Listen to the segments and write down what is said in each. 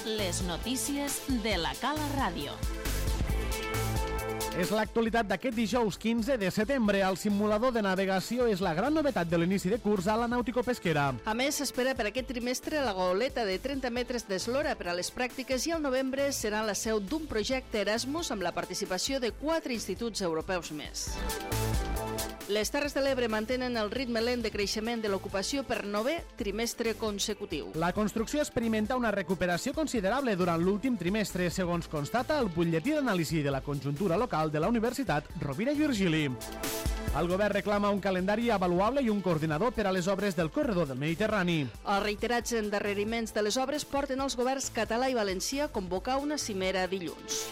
Les notícies de la Cala Ràdio. És l'actualitat d'aquest dijous 15 de setembre. El simulador de navegació és la gran novetat de l'inici de curs a la nàutico-pesquera. A més, s'espera per aquest trimestre la goleta de 30 metres d'eslora per a les pràctiques i al novembre serà la seu d'un projecte Erasmus amb la participació de 4 instituts europeus més. Les Terres de l'Ebre mantenen el ritme lent de creixement de l'ocupació per 9è trimestre consecutiu. La construcció experimenta una recuperació considerable durant l'últim trimestre, segons constata el butlletí d'anàlisi de la conjuntura local de la Universitat Rovira i Virgili. El govern reclama un calendari avaluable i un coordinador per a les obres del corredor del Mediterrani. Els reiterats endarreriments de les obres porten els governs català i valencià a convocar una cimera dilluns.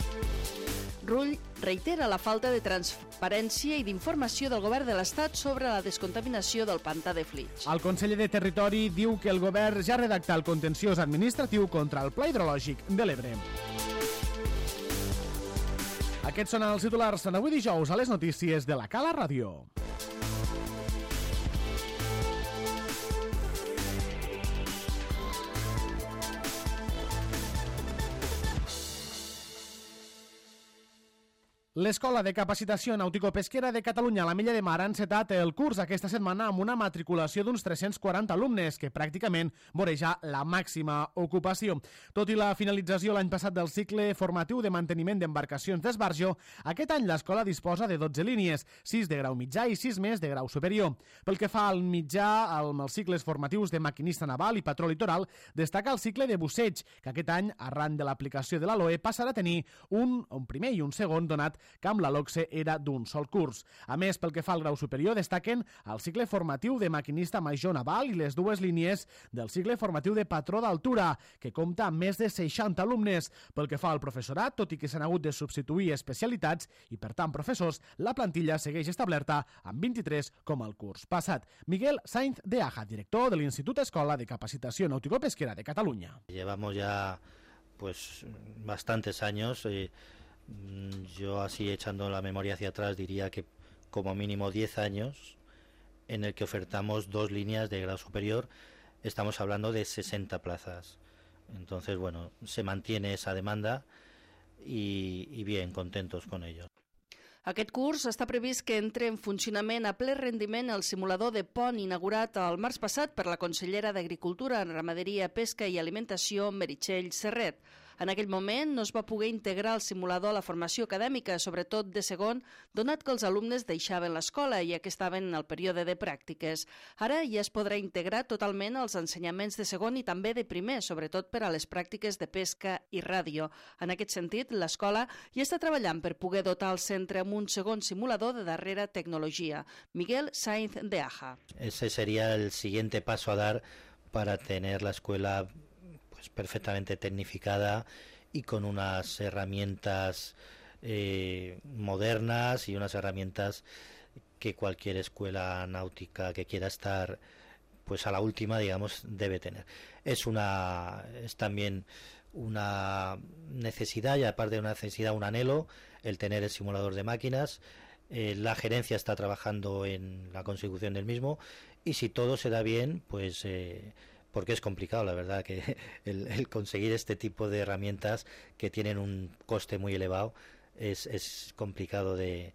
Rull reitera la falta de transparència i d'informació del govern de l'Estat sobre la descontaminació del pantà de Flix. El conseller de Territori diu que el govern ja redacta el contenciós administratiu contra el Pla Hidrològic de l'Ebre. Aquests són els titulars d'avui dijous a les notícies de la Cala Ràdio. L'Escola de Capacitació Nàutico-Pesquera de Catalunya a la Milla de Mar ha encetat el curs aquesta setmana amb una matriculació d'uns 340 alumnes, que pràcticament voreja la màxima ocupació. Tot i la finalització l'any passat del cicle formatiu de manteniment d'embarcacions d'esbarjo, aquest any l'escola disposa de 12 línies, 6 de grau mitjà i 6 més de grau superior. Pel que fa al mitjà, amb els cicles formatius de maquinista naval i patró litoral, destaca el cicle de busseig, que aquest any, arran de l'aplicació de la LOE, passarà a tenir un primer i un segon, donat que amb la LOCSE era d'un sol curs. A més, pel que fa al grau superior, destaquen el cicle formatiu de maquinista major naval i les dues línies del cicle formatiu de patró d'altura, que compta amb més de 60 alumnes. Pel que fa al professorat, tot i que s'han hagut de substituir especialitats i, per tant, professors, la plantilla segueix establerta amb 23 com el curs passat. Miguel Sainz de Aja, director de l'Institut Escola de Capacitació Nàutico-Pesquera de Catalunya. Llevamos ya bastantes años. Yo, así echando la memoria hacia atrás, diría que como mínimo 10 años en el que ofertamos 2 líneas de grado superior. Estamos hablando de 60 plazas. Entonces, bueno, se mantiene esa demanda y bien, contentos con ello. Aquest curs està previst que entre en funcionament a ple rendiment el simulador de pont inaugurat el març passat per la consellera d'Agricultura, Ramaderia, Pesca i Alimentació, Meritxell Serret. En aquell moment no es va poder integrar el simulador a la formació acadèmica, sobretot de segon, donat que els alumnes deixaven l'escola, ja que estaven en el període de pràctiques. Ara ja es podrà integrar totalment els ensenyaments de segon i també de primer, sobretot per a les pràctiques de pesca i ràdio. En aquest sentit, l'escola ja està treballant per poder dotar el centre amb un segon simulador de darrera tecnologia. Miguel Sainz de Aja. Ese sería el siguiente paso a dar para tener la escuela perfectamente tecnificada y con unas herramientas modernas y unas herramientas que cualquier escuela náutica que quiera estar pues a la última, digamos, debe tener. Es también una necesidad, y aparte de una necesidad, un anhelo, el tener el simulador de máquinas. La gerencia está trabajando en la consecución del mismo, y si todo se da bien, pues porque es complicado, la verdad, que el conseguir este tipo de herramientas que tienen un coste muy elevado es complicado de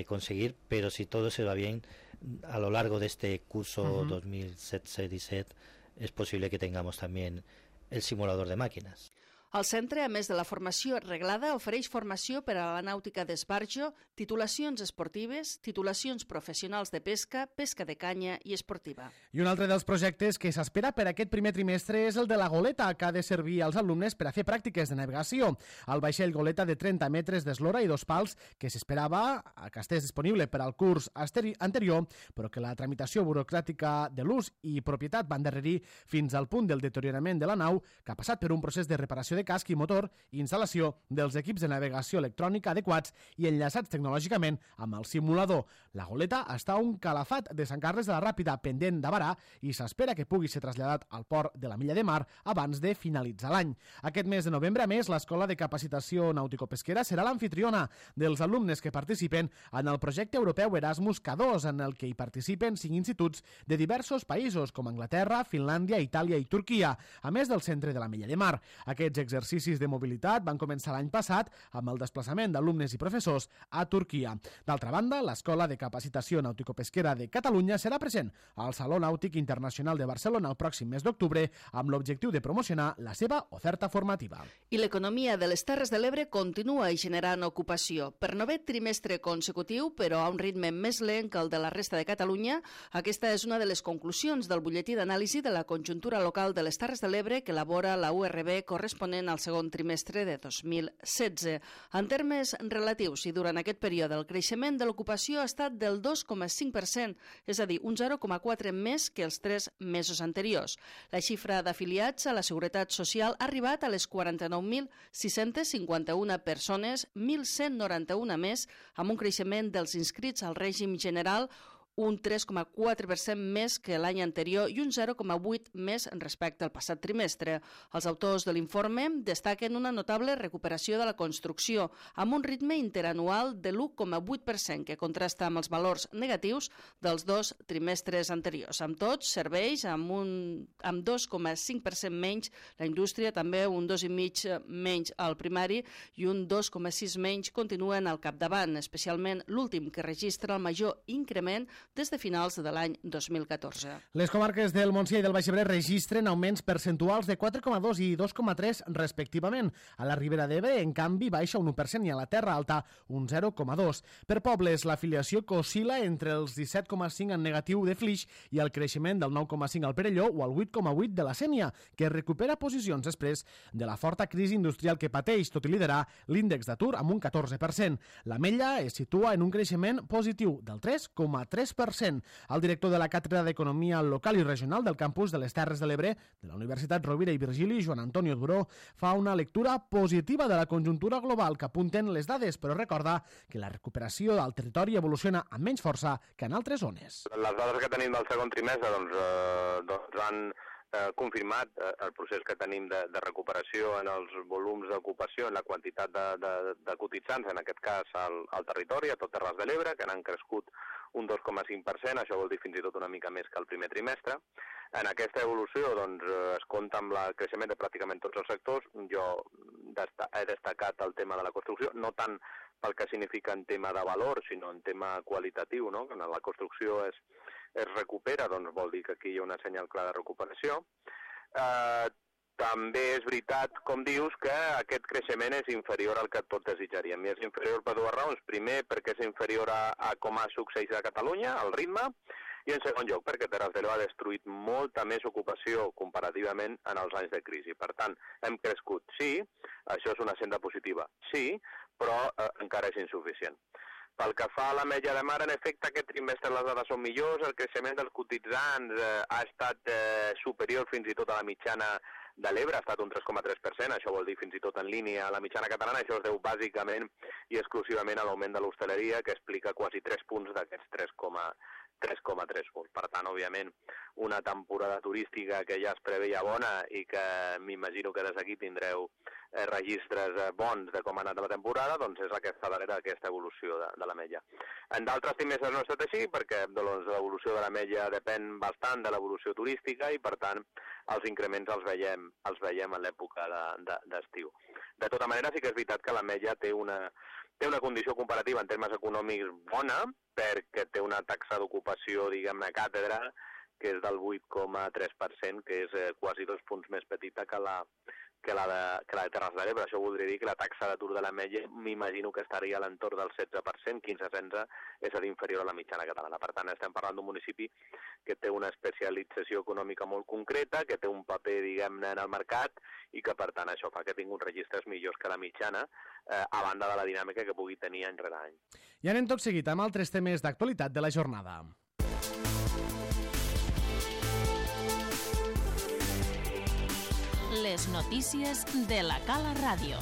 conseguir, pero si todo se va bien, a lo largo de este curso 2017 es posible que tengamos también el simulador de máquinas. El centre, a més de la formació reglada, ofereix formació per a la nàutica d'esbarjo, titulacions esportives, titulacions professionals de pesca, pesca de canya i esportiva. I un altre dels projectes que s'espera per aquest primer trimestre és el de la goleta, que ha de servir als alumnes per a fer pràctiques de navegació. El vaixell goleta de 30 metres d'eslora i 2 pals, que s'esperava que estés disponible per al curs anterior, però que la tramitació burocràtica de l'ús i propietat va endarrerir fins al punt del deteriorament de la nau, que ha passat per un procés de reparació de casc i motor i instal·lació dels equips de navegació electrònica adequats i enllaçats tecnològicament amb el simulador. La goleta està a un calafat de Sant Carles de la Ràpida, pendent de varar, i s'espera que pugui ser traslladat al port de la Milla de Mar abans de finalitzar l'any. Aquest mes de novembre, a més, l'Escola de Capacitació Nàutico-Pesquera serà l'anfitriona dels alumnes que participen en el projecte europeu Erasmus K2, en el que hi participen 5 instituts de diversos països, com Anglaterra, Finlàndia, Itàlia i Turquia, a més del centre de la Milla de Mar. Aquests exercicis de mobilitat van començar l'any passat amb el desplaçament d'alumnes i professors a Turquia. D'altra banda, l'Escola de Capacitació Nàutico-Pesquera de Catalunya serà present al Saló Nàutic Internacional de Barcelona el pròxim mes d'octubre amb l'objectiu de promocionar la seva oferta formativa. I l'economia de les Terres de l'Ebre continua generant ocupació. Per 9è trimestre consecutiu, però a un ritme més lent que el de la resta de Catalunya, aquesta és una de les conclusions del butlletí d'anàlisi de la conjuntura local de les Terres de l'Ebre que elabora la URB corresponent al segon trimestre de 2016. En termes relatius i durant aquest període, el creixement de l'ocupació ha estat del 2,5%, és a dir, un 0,4 més que els 3 mesos anteriors. La xifra d'afiliats a la Seguretat Social ha arribat a les 49.651 persones, 1.191 més, amb un creixement dels inscrits al règim general, un 3,4% més que l'any anterior i un 0,8% més respecte al passat trimestre. Els autors de l'informe destaquen una notable recuperació de la construcció, amb un ritme interanual de l'1,8%, que contrasta amb els valors negatius dels 2 trimestres anteriors. Amb tots, serveis amb 2,5% menys, la indústria també un 2,5% menys al primari i un 2,6% menys continuen al capdavant, especialment l'últim, que registra el major increment des de finals de l'any 2014. Les comarques del Montsià i del Baix Ebre registren augments percentuals de 4,2 i 2,3 respectivament. A la Ribera d'Ebre, en canvi, baixa un 1% i a la Terra Alta un 0,2%. Per pobles, l'afiliació que oscil·la entre els 17,5 en negatiu de Flix i el creixement del 9,5 al Perelló o el 8,8 de la Sénia, que recupera posicions després de la forta crisi industrial que pateix, tot i liderar l'índex d'atur amb un 14%. L'Ametlla es situa en un creixement positiu del 3,3%. El director de la Càtedra d'Economia Local i Regional del campus de les Terres de l'Ebre de la Universitat Rovira i Virgili, Joan Antonio Duró, fa una lectura positiva de la conjuntura global que apunten les dades, però recorda que la recuperació del territori evoluciona amb menys força que en altres zones. Les dades que tenim del segon trimestre han confirmat el procés que tenim de recuperació en els volums d'ocupació, en la quantitat de cotitzants, en aquest cas al territori, a tot Terres de l'Ebre, que han crescut un 2,5%, això vol dir fins i tot una mica més que el primer trimestre. En aquesta evolució es compta amb el creixement de pràcticament tots els sectors. Jo he destacat el tema de la construcció, no tant pel que significa en tema de valor, sinó en tema qualitatiu, no? Quan la construcció es recupera, doncs vol dir que aquí hi ha una senyal clara de recuperació. També és veritat, com dius, que aquest creixement és inferior al que tot desitjaríem. I és inferior per dues raons. Primer, perquè és inferior a com ha succeït a Catalunya, al ritme, i en segon lloc, perquè Terres de l'Ebre ha destruït molta més ocupació comparativament en els anys de crisi. Per tant, hem crescut, sí, això és una senda positiva, sí, però encara és insuficient. Pel que fa a l'Ametlla de Mar, en efecte, aquest trimestre les dades són millors, el creixement dels cotitzants ha estat superior fins i tot a la mitjana de l'Ebre, ha estat un 3,3%, això vol dir fins i tot en línia a la mitjana catalana, això es deu bàsicament i exclusivament a l'augment de l'hostaleria, que explica quasi 3 punts d'aquests 3,3 punts. Per tant, òbviament, una temporada turística que ja es preveia bona i que m'imagino que des d'aquí tindreu registres bons de com ha anat la temporada, doncs és la que està darrere d'aquesta evolució de l'Ametlla. En d'altres trimestres no ha estat així, perquè l'evolució de l'Ametlla depèn bastant de l'evolució turística i, per tant, els increments els veiem en l'època d'estiu. De tota manera, sí que és veritat que l'Ametlla té una condició comparativa en termes econòmics bona, perquè té una taxa d'ocupació, diguem-ne, càtedra, que és del 8,3%, que és quasi 2 punts més petita que la de Terres de l'Ebre. Això voldria dir que la taxa d'atur de l'Ametlla m'imagino que estaria a l'entorn del 16%, 15-16%, és a dir, inferior a la mitjana catalana. Per tant, estem parlant d'un municipi que té una especialització econòmica molt concreta, que té un paper, diguem-ne, en el mercat i que, per tant, això fa que tingui uns registres millors que la mitjana, a banda de la dinàmica que pugui tenir any rere any. I anem tot seguit amb altres temes d'actualitat de la jornada. Les notícies de la Cala Ràdio.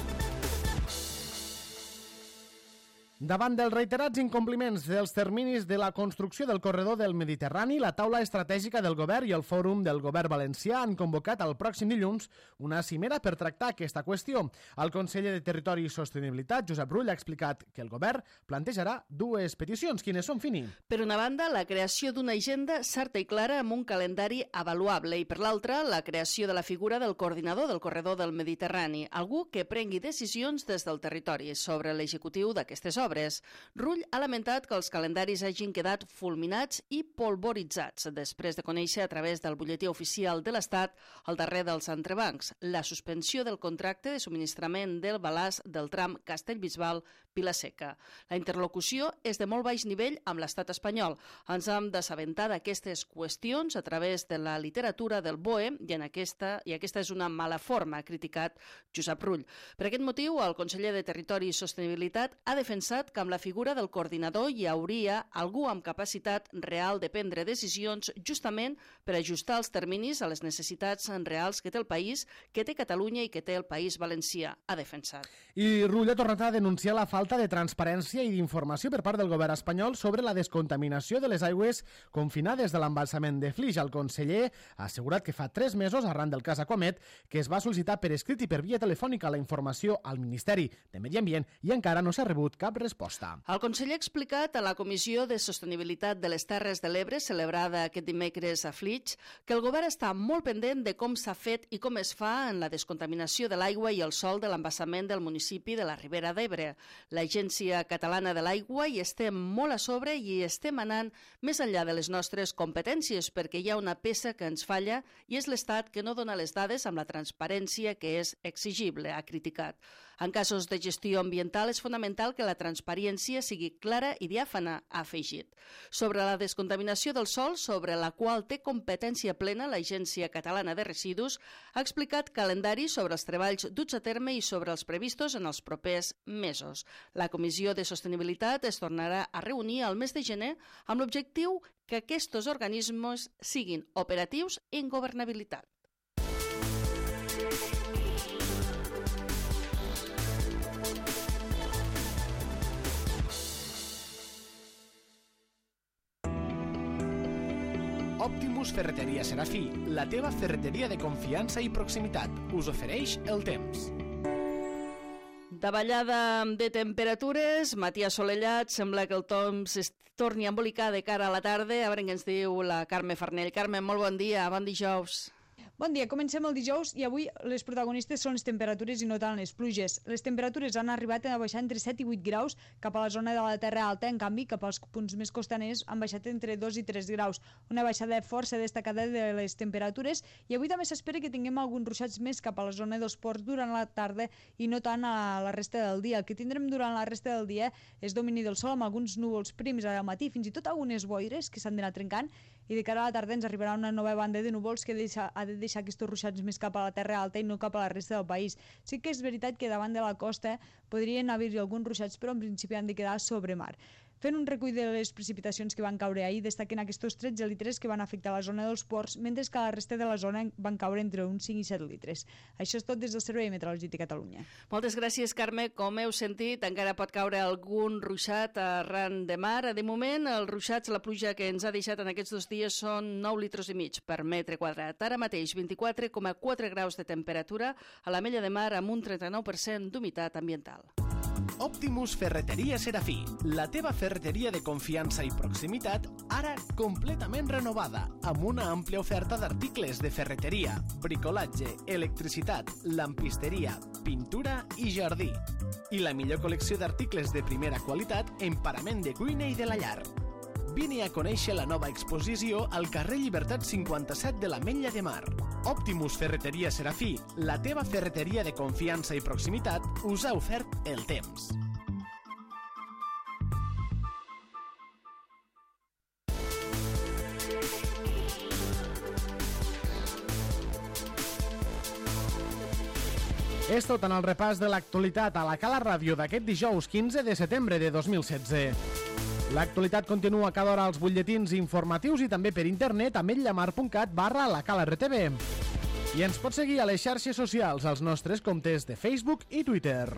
Davant dels reiterats incompliments dels terminis de la construcció del corredor del Mediterrani, la taula estratègica del govern i el fòrum del govern valencià han convocat el pròxim dilluns una cimera per tractar aquesta qüestió. El conseller de Territori i Sostenibilitat, Josep Rull, ha explicat que el govern plantejarà dues peticions. Quines són, Fini? Per una banda, la creació d'una agenda certa i clara amb un calendari avaluable i, per l'altra, la creació de la figura del coordinador del corredor del Mediterrani, algú que prengui decisions des del territori sobre l'executiu d'aquestes obres. Rull ha lamentat que els calendaris hagin quedat fulminats i polvoritzats després de conèixer a través del butlletí oficial de l'Estat el darrer dels entrebancs, la suspensió del contracte de subministrament del balàs del tram Castellbisbal-Vilaseca. La interlocució és de molt baix nivell amb l'Estat espanyol. Ens hem d'assabentar d'aquestes qüestions a través de la literatura del BOE i aquesta és una mala forma, ha criticat Josep Rull. Per aquest motiu, el conseller de Territori i Sostenibilitat ha defensat que amb la figura del coordinador hi hauria algú amb capacitat real de prendre decisions justament per ajustar els terminis a les necessitats reals que té el país, que té Catalunya i que té el País Valencià, ha defensat. I Rull ha tornat a denunciar la falta de transparència i d'informació per part del govern espanyol sobre la descontaminació de les aigües confinades de l'embalsament de Flix. El conseller ha assegurat que fa 3 mesos, arran del cas Aquamet, que es va sol·licitar per escrit i per via telefònica la informació al Ministeri de Medi Ambient i encara no s'ha rebut cap resposta. El conseller ha explicat a la Comissió de Sostenibilitat de les Terres de l'Ebre, celebrada aquest dimecres a Flix, que el govern està molt pendent de com s'ha fet i com es fa en la descontaminació de l'aigua i el sòl de l'embassament del municipi de la Ribera d'Ebre. L'Agència Catalana de l'Aigua hi estem molt a sobre i estem anant més enllà de les nostres competències perquè hi ha una peça que ens falla i és l'Estat que no dona les dades amb la transparència que és exigible, ha criticat. En casos de gestió ambiental és fonamental que la transparència sigui clara i diàfana, ha afegit. Sobre la descontaminació del sòl, sobre la qual té competència plena l'Agència Catalana de Residus, ha explicat calendari sobre els treballs duts a terme i sobre els previstos en els propers mesos. La Comissió de Sostenibilitat es tornarà a reunir al mes de gener amb l'objectiu que aquests organismes siguin operatius en governabilitat. Optimus Ferreteria Serafí, la teva ferreteria de confiança i proximitat, us ofereix el temps. Davallada de temperatures, matí assolellat, sembla que el temps es torni a embolicar de cara a la tarda. A veure què ens diu la Carme Farnell. Carme, molt bon dia, bon dijous. Bon dia, comencem el dijous i avui les protagonistes són les temperatures i no tant les pluges. Les temperatures han arribat a baixar entre 7 i 8 graus cap a la zona de la Terra Alta, en canvi cap als punts més costaners han baixat entre 2 i 3 graus. Una baixada força destacada de les temperatures i avui també s'espera que tinguem alguns ruixats més cap a la zona dels ports durant la tarda i no tant a la resta del dia. El que tindrem durant la resta del dia és domini del sol amb alguns núvols prims al matí, fins i tot algunes boires que s'han d'anar trencant i de cara a la tarda ens arribarà una nova banda de núvols que ha de deixar aquests ruixats més cap a la Terra Alta i no cap a la resta del país. Sí que és veritat que davant de la costa podrien haver-hi alguns ruixats, però en principi han de quedar sobre mar. Fent un recull de les precipitacions que van caure ahir, destaquen aquests 13 litres que van afectar la zona dels ports, mentre que a la resta de la zona van caure entre uns 5 i 7 litres. Això és tot des del Servei Meteorològic de Catalunya. Moltes gràcies, Carme. Com heu sentit, encara pot caure algun ruixat arran de mar. De moment, els ruixats, la pluja que ens ha deixat en aquests 2 dies són 9 litres i mig per metre quadrat. Ara mateix, 24,4 graus de temperatura a la Mella de Mar amb un 39% d'humitat ambiental. Optimus Ferreteria Serafí, la teva ferreteria de confiança i proximitat, ara completament renovada, amb una àmplia oferta d'articles de ferreteria, bricolatge, electricitat, lampisteria, pintura i jardí. I la millor col·lecció d'articles de primera qualitat en parament de cuina i de la llar. Vine a conèixer la nova exposició al carrer Llibertat 57 de l'Ametlla de Mar. Optimus Ferreteria Serafí, la teva ferreteria de confiança i proximitat, us ha ofert el temps. És tot en el repàs de l'actualitat a la Cala Ràdio d'aquest dijous 15 de setembre de 2016. L'actualitat continua cada hora als butlletins informatius i també per internet a ametlla-mar.cat/lacalartv. I ens pot seguir a les xarxes socials als nostres comptes de Facebook i Twitter.